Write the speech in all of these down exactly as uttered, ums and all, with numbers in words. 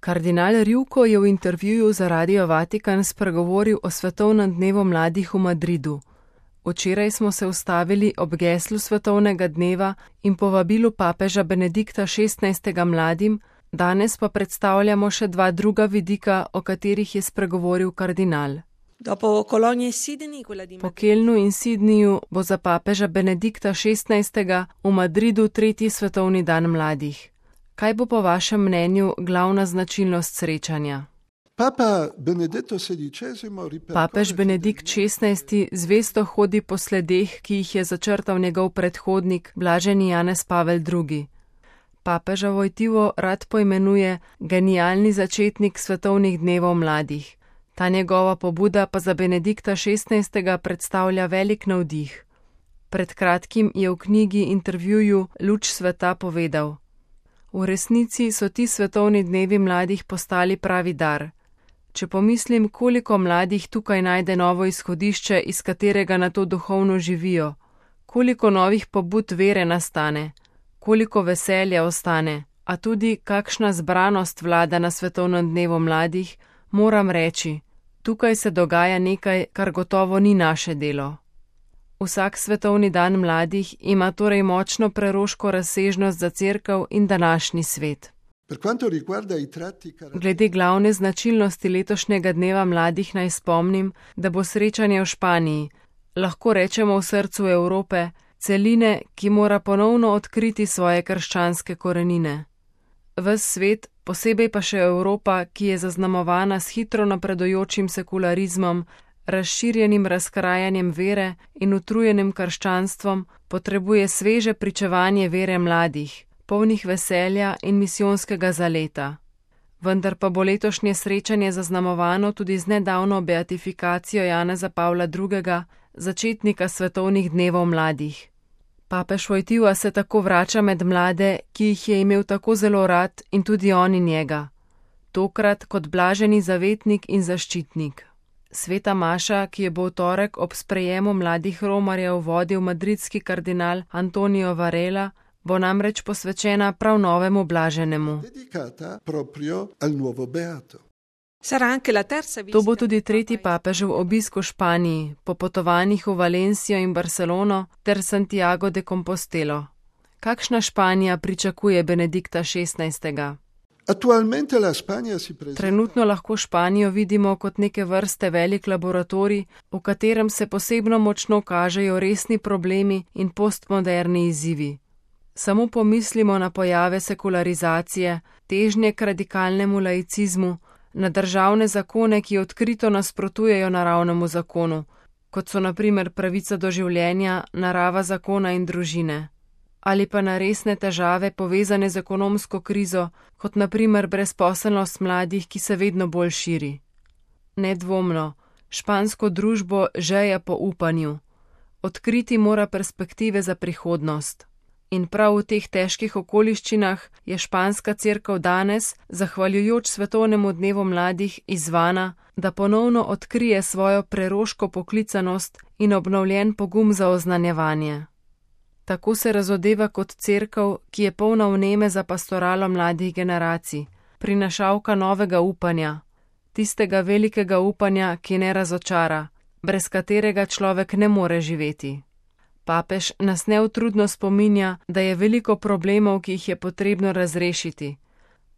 Kardinal Rjuko je v intervjuju za Radio Vatikan spregovoril o svetovnem dnevu mladih v Madridu. Včeraj smo se ustavili ob geslu svetovnega dneva in povabilu papeža Benedikta šestnajstega mladim, danes pa predstavljamo še dva druga vidika, o katerih je spregovoril kardinal. Po Kelnu in Sidniju bo za papeža Benedikta šestnajstega v Madridu tretji svetovni dan mladih. Kaj bo po vašem mnenju glavna značilnost srečanja? Papež Benedikt šestnajsti zvesto hodi po sledeh, ki jih je začrtal njegov predhodnik, blaženi Janez Pavel drugi. Papeža Vojtivo rad poimenuje genialni začetnik svetovnih dnevov mladih. Ta njegova pobuda pa za Benedikta šestnajstega predstavlja velik navdih. Pred kratkim je v knjigi intervjuju Luč sveta povedal: V resnici so ti svetovni dnevi mladih postali pravi dar. Če pomislim, koliko mladih tukaj najde novo izhodišče, iz katerega na to duhovno živijo, koliko novih pobud vere nastane, koliko veselja ostane, a tudi kakšna zbranost vlada na svetovnem dnevu mladih, moram reči, tukaj se dogaja nekaj, kar gotovo ni naše delo. Vsak svetovni dan mladih ima torej močno preroško razsežnost za cerkev in današnji svet. Glede glavne značilnosti letošnjega dneva mladih naj spomnim, da bo srečanje v Španiji, lahko rečemo v srcu Evrope, celine, ki mora ponovno odkriti svoje krščanske korenine. Ves svet, posebej pa še Evropa, ki je zaznamovana s hitro napredujočim sekularizmom, razširjenim razkrajanjem vere in utrujenim krščanstvom, potrebuje sveže pričevanje vere mladih, polnih veselja in misijonskega zaleta. Vendar pa bo letošnje srečanje zaznamovano tudi z nedavno beatifikacijo Janeza Pavla drugega, začetnika svetovnih dnevov mladih. Papež Vojtiva se tako vrača med mlade, ki jih je imel tako zelo rad, in tudi oni njega. Tokrat kot blaženi zavetnik in zaščitnik. Sveta maša, ki je bo v torek ob sprejemu mladih romarjev vodil madridski kardinal Antonio Varela, bo namreč posvečena prav novemu blaženemu. To bo tudi tretji papežev obisk v Španiji, po potovanjih v Valencijo in Barcelono ter Santiago de Compostelo. Kakšna Španija pričakuje Benedikta šestnajstega? Trenutno lahko Španijo vidimo kot neke vrste velik laboratorij, v katerem se posebno močno kažejo resni problemi in postmoderni izzivi. Samo pomislimo na pojave sekularizacije, težnje k radikalnemu laicizmu, na državne zakone, ki odkrito nasprotujejo naravnemu zakonu, kot so na primer pravica do življenja, narava zakona in družine. Ali pa na resne težave povezane z ekonomsko krizo, kot na primer brezposelnost mladih, ki se vedno bolj širi. Nedvomno, špansko družbo žeja po upanju. Odkriti mora perspektive za prihodnost. In prav v teh težkih okoliščinah je španska cerkev danes, zahvaljujoč svetovnemu dnevu mladih, izzvana, da ponovno odkrije svojo preroško poklicanost in obnovljen pogum za oznanjevanje. Tako se razodeva kot cerkev, ki je polna vneme za pastoralo mladih generacij, prinašalka novega upanja, tistega velikega upanja, ki ne razočara, brez katerega človek ne more živeti. Papež nas neutrudno spominja, da je veliko problemov, ki jih je potrebno razrešiti,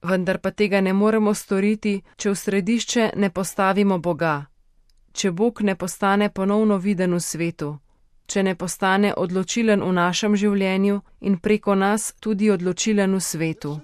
vendar pa tega ne moremo storiti, če v središče ne postavimo Boga, če Bog ne postane ponovno viden v svetu, če ne postane odločilen v našem življenju in preko nas tudi odločilen v svetu.